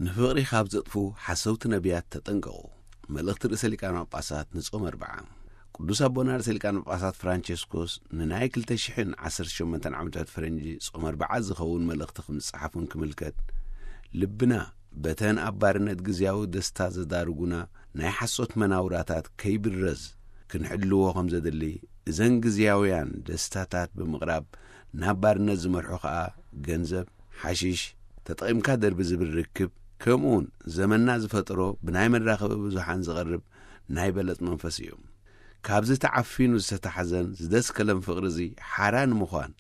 ንፍቕሪ ካብ ዘጥፉ ሓሰውቲ ነቢያት ተጠንቀቑ። መልእኽቲ ርእሰ ሊቃነ ጳጳሳት ንጾም ኣርብዓ። ቅዱስ ኣቦና ርእሰ ሊቃነ ጳጳሳት ፍራንቸስኮስ ንናይ ክልተ ሽሕን ዓሰርተ ሸሞንተን ዓመታት ፈረንጂ ጾም ኣርብዓ ዝኸውን መልእኽቲ ከም ዝጸሓፉን ክምልከት፣ ልብና በተን ኣብ ባርነት ግዝያዊ ደስታ ዘዳርጉና ናይ ሓሶት መናውራታት ከይብረዝ ክንሕልዎ ከም ዘድሊ፣ እዘን ግዝያውያን ደስታታት ብምቕራብ ናብ ባርነት ዝመርሑ ኸኣ ገንዘብ፣ ሓሽሽ፣ ተጠቒምካ ደርቢ ዝብል ርክብ፣ ከምኡውን ዘመንና ዝፈጠሮ ብናይ መራኸቢ ብዙሓን ዝቐርብ ናይ በለጽ መንፈስ እዩ። ካብዚ ተዓፊኑ ዝተታሕዘን ዝደስከለን ፍቕሪ እዚ ሓራ ንምዃን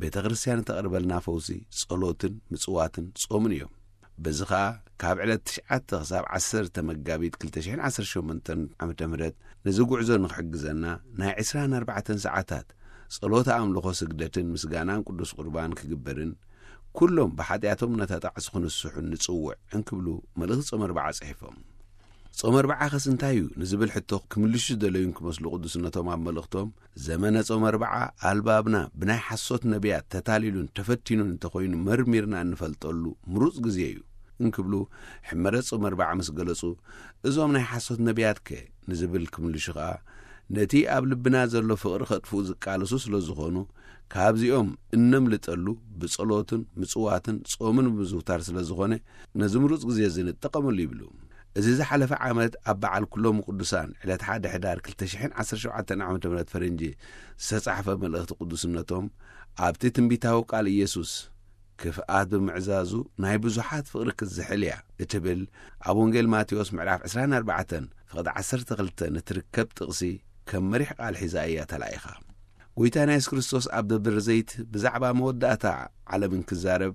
ቤተ ክርስቲያን እተቕርበልና ፈውሲ ጸሎትን ምጽዋትን ጾምን እዮም። በዚ ኸኣ ካብ ዕለት ትሽዓተ ክሳብ ዓሰርተ መጋቢት ክልተ ሽሕን ዓሰርተ ሸሞንተን ዓመተ ምህረት ነዚ ጉዕዞ ንኽሕግዘና ናይ ዕስራን ኣርባዕተን ሰዓታት ጸሎተ ኣምልኾ ስግደትን ምስጋናን ቅዱስ ቁርባን ክግበርን ኩሎም ብሓጢኣቶም ነተጣዕሱ ክንስሑን ንጽውዕ እንክብሉ መልእኽቲ ጾም ኣርብዓ ጽሒፎም። ጾም ኣርብዓ ኸስ እንታይ እዩ ንዝብል ሕቶ ክምልሹ ዝደለዩን ክመስሉ ቅዱስነቶም ኣብ መልእኽቶም፣ ዘመነ ጾም ኣርብዓ ኣልባብና ብናይ ሓሶት ነቢያት ተታሊሉን ተፈቲኑን እንተኾይኑ መርሚርና እንፈልጠሉ ምሩጽ ግዜ እዩ እንክብሉ ሕመረት ጾም ኣርብዓ ምስ ገለጹ፣ እዞም ናይ ሓሶት ነቢያት ከ ንዝብል ክምልሹ ኸኣ፣ ነቲ ኣብ ልብና ዘሎ ፍቕሪ ከጥፍኡ ዝቃለሱ ስለ ዝኾኑ፣ ካብዚኦም እነምልጠሉ ብጸሎትን ምጽዋትን ጾምን ብምዝውታር ስለ ዝኾነ፣ ነዚ ምሩጽ ግዜ እዚ ንጠቐመሉ ይብሉ። እዚ ዝሓለፈ ዓመት ኣብ በዓል ኩሎም ቅዱሳን ዕለት ሓደ ሕዳር ክልተ ሽሕን ዓሰርተ ሸውዓተን ዓመተ ምህረት ፈረንጂ ዝተጻሕፈ መልእኽቲ ቅዱስነቶም፣ ኣብቲ ትንቢታዊ ቃል ኢየሱስ፣ ክፍኣት ብምዕዛዙ ናይ ብዙሓት ፍቕሪ ክትዝሕል እያ እትብል ኣብ ወንጌል ማቴዎስ ምዕራፍ ዕስራን ኣርባዕተን ፍቕዲ ዓሰርተ ክልተ ንትርከብ ጥቕሲ ከም መሪሕ ቃል ሒዛ እያ ተላኢኻ። ጎይታና የሱስ ክርስቶስ ኣብ ደብረ ዘይት ብዛዕባ መወዳእታ ዓለም እንክዛረብ፣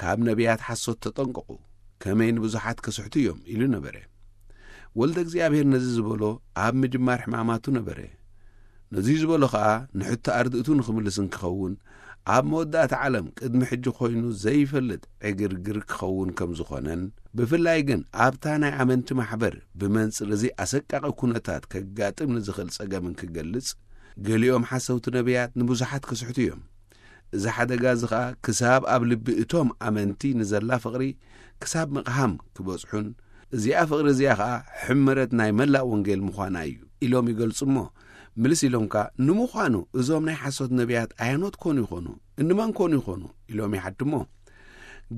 ካብ ነቢያት ሓሶት ተጠንቀቑ፣ ከመይ ንብዙሓት ከስሕቱ እዮም ኢሉ ነበረ። ወልደ እግዚኣብሔር ነዚ ዝበሎ ኣብ ምጅማር ሕማማቱ ነበረ። ነዚ ዝበሎ ኸኣ ንሕቶ ኣርድእቱ ንኽምልስ እንክኸውን፣ ኣብ መወዳእታ ዓለም ቅድሚ ሕጂ ኮይኑ ዘይፈልጥ ዕግርግር ክኸውን ከም ዝኾነን፣ ብፍላይ ግን ኣብታ ናይ ኣመንቲ ማሕበር ብመንጽር እዚ ኣሰቃቂ ኩነታት ከጋጥም ንዝኽእል ጸገምን ክገልጽ፣ ገሊኦም ሓሰውቲ ነቢያት ንብዙሓት ክስሕቱ እዮም። እዚ ሓደጋ እዚ ኸኣ ክሳብ ኣብ ልቢ እቶም ኣመንቲ ንዘላ ፍቕሪ ክሳብ ምቕሃም ክበጽሑን፣ እዚኣ ፍቕሪ እዚኣ ኸኣ ሕመረት ናይ መላእ ወንጌል ምዃና እዩ ኢሎም ይገልጹ እሞ፣ ምልስ ኢሎም ከኣ፣ ንምዃኑ እዞም ናይ ሓሶት ነቢያት ኣያኖት ኮኑ ይኾኑ? እንመን ኮኑ ይኾኑ? ኢሎም ይሓቱ እሞ፣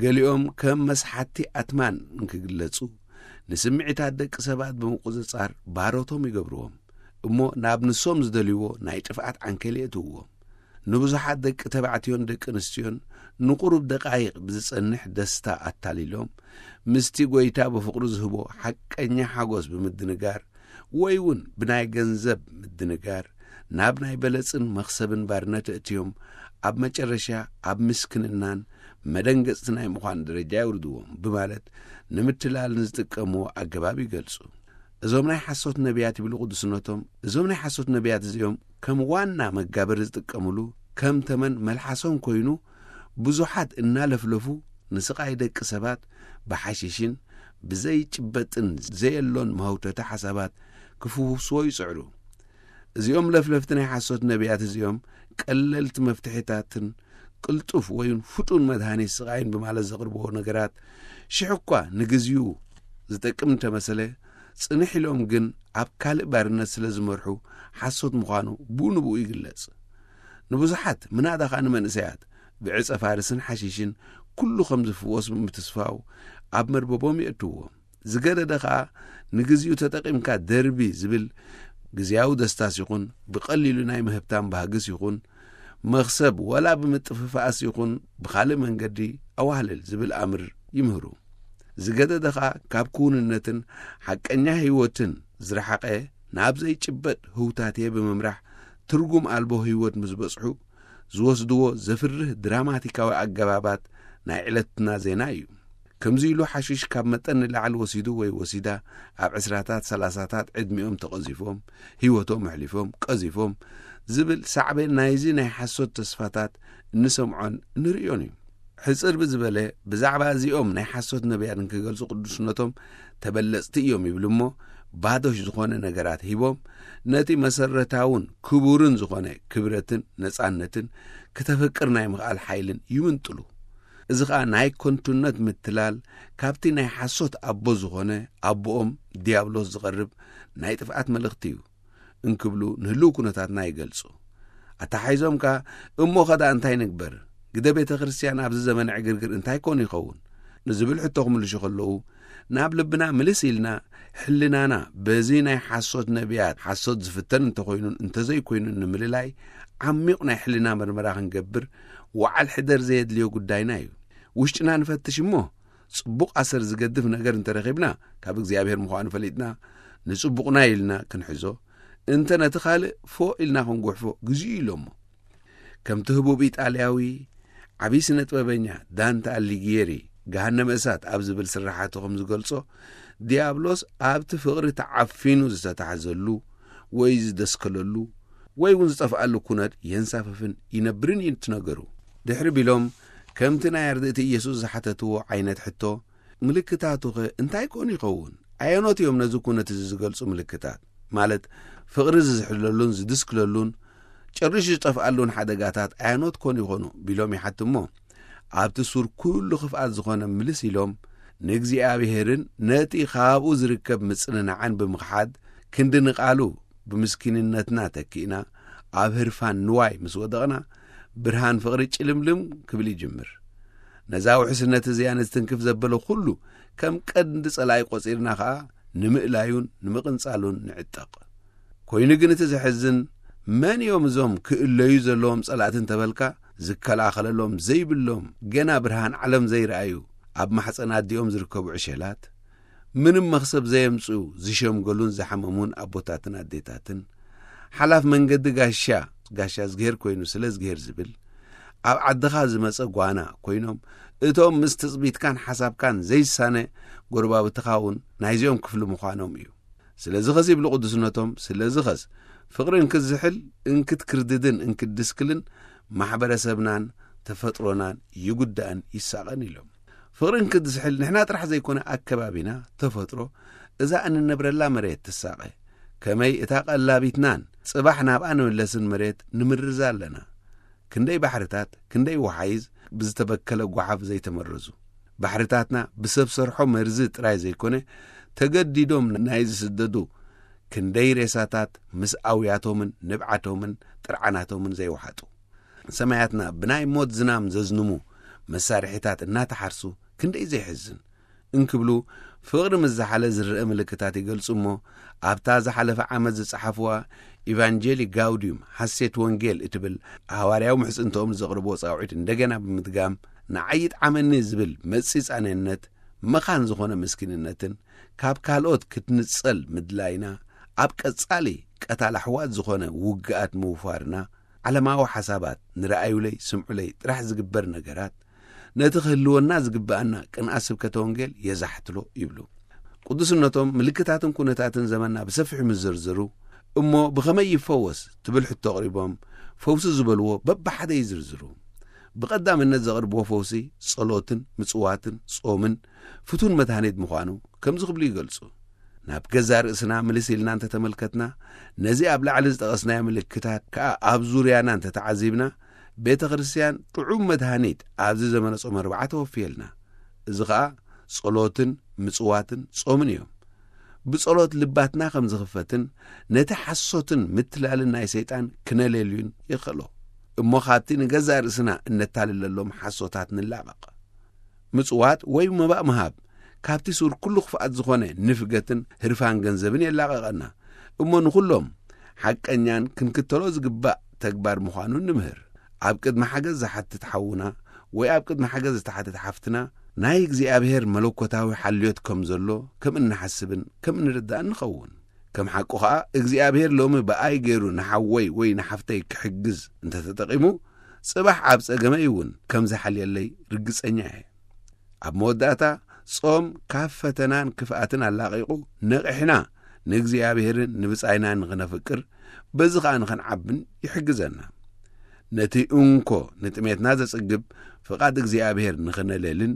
ገሊኦም ከም መስሓቲ ኣትማን እንክግለጹ፣ ንስምዒታት ደቂ ሰባት ብምቁጽጻር ባሮቶም ይገብርዎም እሞ፣ ናብ ንሶም ዝደልይዎ ናይ ጥፍኣት ዓንኬል የእትውዎም። ንብዙሓት ደቂ ተባዕትዮን ደቂ ኣንስትዮን ንቁሩብ ደቃይቕ ብዝጸንሕ ደስታ ኣታሊሎም፣ ምስቲ ጐይታ ብፍቕሩ ዝህቦ ሓቀኛ ሓጎስ ብምድንጋር፣ ወይ እውን ብናይ ገንዘብ ምድንጋር፣ ናብ ናይ በለጽን መኽሰብን ባርነት ኣእትዮም፣ ኣብ መጨረሻ ኣብ ምስክንናን መደንገጽቲ ናይ ምዃን ደረጃ የውርድዎም ብማለት ንምትላል ንዝጥቀምዎ ኣገባብ ይገልጹ። እዞም ናይ ሓሶት ነቢያት ይብሉ ቅዱስነቶም፣ እዞም ናይ ሓሶት ነቢያት እዚኦም ከም ዋና መጋበሪ ዝጥቀምሉ፣ ከም ተመን መልሓሶም ኮይኑ፣ ብዙሓት እናለፍለፉ ንስቓይ ደቂ ሰባት ብሓሽሽን ብዘይጭበጥን ዘየሎን መህውተቲ ሓሳባት ክፍውስዎ ይጽዕሩ። እዚኦም ለፍለፍቲ ናይ ሓሶት ነቢያት እዚኦም ቀለልቲ መፍትሒታትን ቅልጡፍ ወይን ፍጡን መድሃኒት ስቓይን ብማለት ዘቕርብዎ ነገራት ሽሕ እኳ ንግዚኡ ዝጠቅም እንተመሰለ፣ ጽንሕ ኢሎም ግን ኣብ ካልእ ባርነት ስለ ዝመርሑ ሓሶት ምዃኑ ብኡ ንብኡ ይግለጽ። ንብዙሓት ምናዳ ኸኣ ንመንእሰያት ብዕጸ ፋርስን ሓሺሽን ኩሉ ከም ዝፍወስ ብምትስፋው ኣብ መርበቦም የእትውዎ። ዝገደደ ኸኣ ንግዚኡ ተጠቒምካ ደርቢ ዝብል ግዝያዊ ደስታስ ይኹን ብቐሊሉ ናይ ምህብታም ባህግስ ይኹን መኽሰብ ወላ ብምጥፍፋእስ ይኹን ብኻልእ መንገዲ ኣዋህልል ዝብል ኣምር ይምህሩ። ዝገደደ ኸኣ ካብ ክውንነትን ሓቀኛ ህይወትን ዝረሓቐ ናብ ዘይጭበጥ ህውታትየ ብምምራሕ ትርጉም ኣልቦ ህይወት ምስ በጽሑ ዝወስድዎ ዘፍርህ ድራማቲካዊ ኣገባባት ናይ ዕለትና ዜና እዩ። ከምዚ ኢሉ ሓሽሽ ካብ መጠን ንላዕሊ ወሲዱ ወይ ወሲዳ ኣብ ዕስራታት ሰላሳታት ዕድሚኦም ተቐዚፎም ህይወቶም ኣሕሊፎም ቀዚፎም ዝብል ሳዕቤን ናይዚ ናይ ሓሶት ተስፋታት እንሰምዖን እንርእዮን እዩ። ሕጽር ብዝበለ ብዛዕባ እዚኦም ናይ ሓሶት ነቢያት እንክገልጹ ቅዱስነቶም ተበለጽቲ እዮም ይብል እሞ ባዶሽ ዝኾነ ነገራት ሂቦም ነቲ መሰረታውን ክቡርን ዝኾነ ክብረትን ነጻነትን ክተፍቅር ናይ ምኽኣል ሓይልን ይምንጥሉ። እዚ ኸኣ ናይ ከንቱነት ምትላል ካብቲ ናይ ሓሶት ኣቦ ዝኾነ ኣቦኦም ዲያብሎስ ዝቐርብ ናይ ጥፍኣት መልእኽቲ እዩ እንክብሉ ንህልው ኩነታትና ይገልጹ። ኣተሓሒዞም ከኣ፣ "እሞ ኸዳ እንታይ ንግበር? ግደ ቤተ ክርስቲያን ኣብዚ ዘመነ ዕግርግር እንታይ ኮን ይኸውን?" ንዝብል ሕቶ ክምልሹ ከለዉ፣ ናብ ልብና ምልስ ኢልና፣ ሕልናና በዚ ናይ ሓሶት ነቢያት ሓሶት ዝፍተን እንተኾይኑን እንተዘይኮይኑን ንምልላይ ዓሚቕ ናይ ሕልና መርመራ ክንገብር ወዓል ሕደር ዘየድልዮ ጉዳይና እዩ። ውሽጥና ንፈትሽ እሞ፣ ጽቡቕ ኣሰር ዝገድፍ ነገር እንተረኺብና፣ ካብ እግዚኣብሔር ምዃኑ ፈሊጥና፣ ንጽቡቕና ኢልና ክንሕዞ፣ እንተ ነቲ ካልእ ፎእ ኢልና ክንጉሕፎ ግዜኡ ኢሎሞ። ከምቲ ህቡብ ኢጣልያዊ ዓብዪ ስነ ጥበበኛ ዳንተ ኣሊጊየሪ ገሃነመ እሳት ኣብ ዝብል ስርሓቱ ከም ዝገልጾ፣ ዲያብሎስ ኣብቲ ፍቕሪ ተዓፊኑ ዝተታሕዘሉ ወይ ዝደስከለሉ ወይ እውን ዝጠፍኣሉ ኩነት የንሳፍፍን ይነብርን እዩ እቲ ነገሩ። ድሕሪ ቢሎም፣ ከምቲ ናይ ኣርድእቲ ኢየሱስ ዝሓተትዎ ዓይነት ሕቶ፣ "ምልክታቱኸ እንታይ ኮን ይኸውን? ኣየኖት እዮም ነዚ ኩነት እዚ ዝገልጹ ምልክታት? ማለት ፍቕሪ ዝዝሕለሉን ዝድስክለሉን ጨሪሹ ዝጠፍኣሉን ሓደጋታት ኣየኖት ኮን ይኾኑ?" ቢሎም ይሓትሞ፣ ኣብቲ ሱር ኩሉ ክፍኣት ዝኾነ ምልስ ኢሎም፣ ንእግዚኣብሔርን ነቲ ካብኡ ዝርከብ ምጽንናዕን ብምኽሓድ፣ ክንዲ ንቓሉ ብምስኪንነትና ተኪእና፣ ኣብ ህርፋን ንዋይ ምስ ወደቕና፣ ብርሃን ፍቕሪ ጭልምልም ክብል ይጅምር። ነዛ ውሕስነት እዚኣ ንዝትንክፍ ዘበለ ኩሉ ከም ቀንዲ ጸላኢ ቆጺርና ኸኣ ንምእላዩን ንምቕንጻሉን ንዕጠቕ። ኮይኑ ግን እቲ ዘሕዝን፣ መን እዮም እዞም ክእለዩ ዘለዎም ጸላእቲ እንተበልካ፣ ዝከላኸለሎም ዘይብሎም፣ ገና ብርሃን ዓለም ዘይረኣዩ፣ ኣብ ማሕጸን ኣዲኦም ዝርከቡ ዕሸላት፣ ምንም መኽሰብ ዘየምጽኡ፣ ዝሸምገሉን ዝሓመሙን ኣቦታትን ኣዴታትን፣ ሓላፍ መንገዲ ጋሻ፣ ጋሻ ዝግሄር ኮይኑ ስለ ዝግሄር ዝብል፣ ኣብ ዓድኻ ዝመጸ ጓና ኮይኖም፣ እቶም ምስ ትጽቢትካን ሓሳብካን ዘይሳነ ጎረባብትኻ እውን ናይዚኦም ክፍሊ ምዃኖም እዩ። ስለዚ ኸስ ይብሉ ቅዱስነቶም፣ ስለዚ ኸስ ፍቕሪ እንክዝሕል እንክትክርድድን እንክትድስክልን ማሕበረሰብናን ተፈጥሮናን ይጉዳእን ይሳቐን ኢሎም። ፍቕሪ እንክዝሕል ንሕና ጥራሕ ዘይኮነ ኣከባቢና፣ ተፈጥሮ፣ እዛ እንነብረላ መሬት ትሳቐ። ከመይ እታ ቀላቢትናን ጽባሕ ናብኣ ንምለስን መሬት ንምርዛ ኣለና። ክንደይ ባሕርታት፣ ክንደይ ወሓይዝ ብዝተበከለ ጓሓፍ ዘይተመረዙ። ባሕርታትና ብሰብ ሰርሖ መርዚ ጥራይ ዘይኮነ፣ ተገዲዶም ናይ ዝስደዱ ክንደይ ሬሳታት ምስ ኣውያቶምን ንብዓቶምን ጥርዓናቶምን ዘይወሓጡ። ሰማያትና ብናይ ሞት ዝናም ዘዝንሙ መሳርሒታት እናተሓርሱ ክንደይ ዘይሕዝን። እንክብሉ ፍቕሪ ምስ ዝሓለ ዝረአ ምልክታት ይገልጹ እሞ፣ ኣብታ ዝሓለፈ ዓመት ዝጸሓፍዋ ኢቫንጀሊ ጋውዲዩም፣ ሓሴት ወንጌል፣ እትብል ሃዋርያዊ ምሕጽንትኦም ዘቕርብዎ ጻውዒት እንደገና ብምድጋም፣ ንዓይ ይጥዓመኒ ዝብል መጺጻንነት፣ መኻን ዝኾነ ምስኪንነትን፣ ካብ ካልኦት ክትንጸል ምድላይና፣ ኣብ ቀጻሊ ቀታል ኣሕዋት ዝኾነ ውግኣት ምውፋርና፣ ዓለማዊ ሓሳባት፣ ንረኣዩለይ ስምዑለይ ጥራሕ ዝግበር ነገራት፣ ነቲ ክህልወና ዝግብኣና ቅንኣት ስብከተ ወንጌል የዛሕትሎ ይብሉ። ቅዱስነቶም ምልክታትን ኩነታትን ዘመንና ብሰፊሑ ምስ ዘርዘሩ፣ እሞ ብኸመይ ይፈወስ ትብል ሕቶ ኣቕሪቦም፣ ፈውሲ ዝበልዎ በብሓደ ይዝርዝሩ። ብቐዳምነት ዘቕርብዎ ፈውሲ ጸሎትን ምጽዋትን ጾምን ፍቱን መድሃኒት ምዃኑ ከምዚ ክብሉ ይገልጹ። ናብ ገዛእ ርእስና ምልስ ኢልና እንተተመልከትና፣ ነዚ ኣብ ላዕሊ ዝጠቐስናዮ ምልክታት ከኣ ኣብ ዙርያና እንተተዓዚብና፣ ቤተ ክርስቲያን ጥዑም መድሃኒት ኣብዚ ዘመነ ጾመ ኣርብዓ ተወፍየልና። እዚ ኸኣ ጸሎትን ምጽዋትን ጾምን እዮም። ብጸሎት ልባትና ከም ዝኽፈትን ነቲ ሓሶትን ምትላልን ናይ ሰይጣን ክነለልዩን የኽእሎ። እሞ ካብቲ ንገዛእ ርእስና እነታልለሎም ሓሶታት ንላቐቕ። ምጽዋት ወይ መባእ ምሃብ፣ ካብቲ ሱር ኩሉ ክፍኣት ዝኾነ ንፍገትን ህርፋን ገንዘብን የላቐቐና። እሞ ንኹሎም ሓቀኛን ክንክተሎ ዝግባእ ተግባር ምዃኑ ንምህር። ኣብ ቅድሚ ሓገዝ ዝሓትት ሓውና ወይ ኣብ ቅድሚ ሓገዝ ዝተሓትት ሓፍትና ናይ እግዚኣብሔር መለኮታዊ ሓልዮት ከም ዘሎ ከም እንሓስብን ከም እንርዳእን ንኸውን። ከም ሓቁ ኸኣ እግዚኣብሔር ሎሚ ብኣይ ገይሩ ንሓወይ ወይ ንሓፍተይ ክሕግዝ እንተተጠቒሙ፣ ጽባሕ ኣብ ጸገመይ እውን ከም ዝሓልየለይ ርግጸኛ እየ። ኣብ መወዳእታ፣ ጾም ካብ ፈተናን ክፍኣትን ኣላቒቑ ነቒሕና ንእግዚኣብሔርን ንብጻይና ንኽነፍቅር፣ በዚ ኸኣ ንኽንዓብን ይሕግዘና። ነቲ እንኮ ንጥሜትና ዘጽግብ ፍቓድ እግዚኣብሔር ንኽነለልን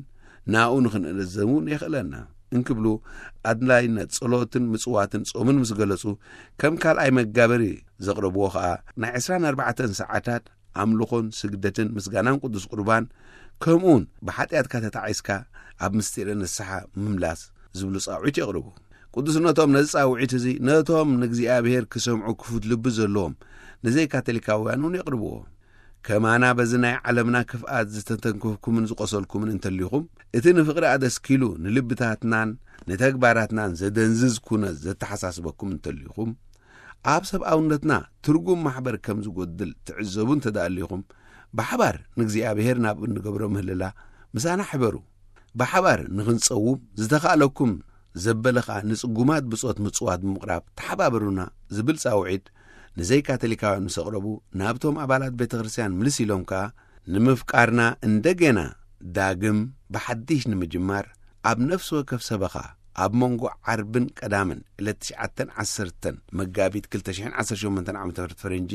ናኡ ንኽንእዘዝ እውን የኽእለና እንክብሉ፣ ኣድላይነት ጸሎትን ምጽዋትን ጾምን ምስ ገለጹ፣ ከም ካልኣይ መጋበሪ ዘቕረብዎ ኸኣ ናይ ዕስራን ኣርባዕተን ሰዓታት ኣምልኾን ስግደትን ምስጋናን ቅዱስ ቁርባን ከምኡውን ብሓጢኣትካ ተታዒስካ ኣብ ምስጢረ ንስሓ ምምላስ ዝብሉ ጻውዒት የቕርቡ። ቅዱስነቶም ነዚ ጻውዒት እዚ ነቶም ንእግዚኣብሔር ክሰምዑ ክፉት ልቢ ዘለዎም ንዘይካቶሊካውያን እውን የቕርብዎ። ከማና በዚ ናይ ዓለምና ክፍኣት ዝተተንከፍኩምን ዝቆሰልኩምን እንተሊኹም፣ እቲ ንፍቕሪ ኣደስኪሉ ንልብታትናን ንተግባራትናን ዘደንዝዝ ኩነት ዘተሓሳስበኩም እንተሊኹም፣ ኣብ ሰብኣውነትና ትርጉም ማሕበር ከም ዝጎድል ትዕዘቡ እንተደኣሊኹም፣ ብሓባር ንእግዚኣብሔር ናብ እንገብሮ ምህልላ ምሳና ሕበሩ። ብሓባር ንኽንጸውም ዝተኻእለኩም ዘበለ ኸኣ ንጽጉማት ብጾት ምጽዋት ብምቕራብ ተሓባበሩና ዝብል ጻውዒት ንዘይካቶሊካውያን ምስ ኣቕረቡ፣ ናብቶም ኣባላት ቤተ ክርስቲያን ምልስ ኢሎም ከኣ ንምፍቃርና እንደገና ዳግም ብሓድሽ ንምጅማር ኣብ ነፍሲ ወከፍ ሰበኻ ኣብ መንጎ ዓርብን ቀዳምን ዕለት ትሽዓተን ዓሰርተን መጋቢት ክልተ ሽሕን ዓሰርተ ሸሞንተን ዓመተ ምህረት ፈረንጂ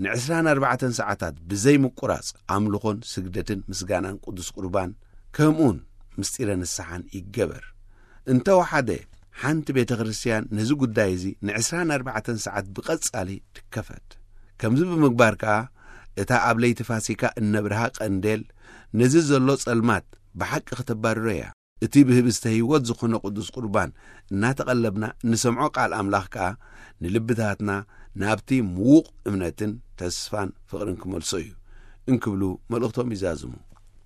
ንዕስራን ኣርባዕተን ሰዓታት ብዘይ ምቁራጽ ኣምልኾን ስግደትን ምስጋናን ቅዱስ ቁርባን ከምኡን ምስጢረ ንስሓን ይገበር። እንተወሓደ ሓንቲ ቤተ ክርስቲያን ነዚ ጉዳይ እዚ ንዕስራን ኣርባዕተን ሰዓት ብቐጻሊ ትከፈት። ከምዚ ብምግባር ከኣ እታ ኣብ ለይቲ ፋሲካ እነብርሃ ቀንዴል ነዚ ዘሎ ጸልማት ብሓቂ ከተባርሮ እያ። እቲ ብህብስተ ህይወት ዝኾነ ቅዱስ ቁርባን እናተቐለብና እንሰምዖ ቃል ኣምላኽ ከኣ ንልብታትና ናብቲ ምዉቕ እምነትን ተስፋን ፍቕርን ክመልሶ እዩ እንክብሉ መልእኽቶም ይዛዝሙ።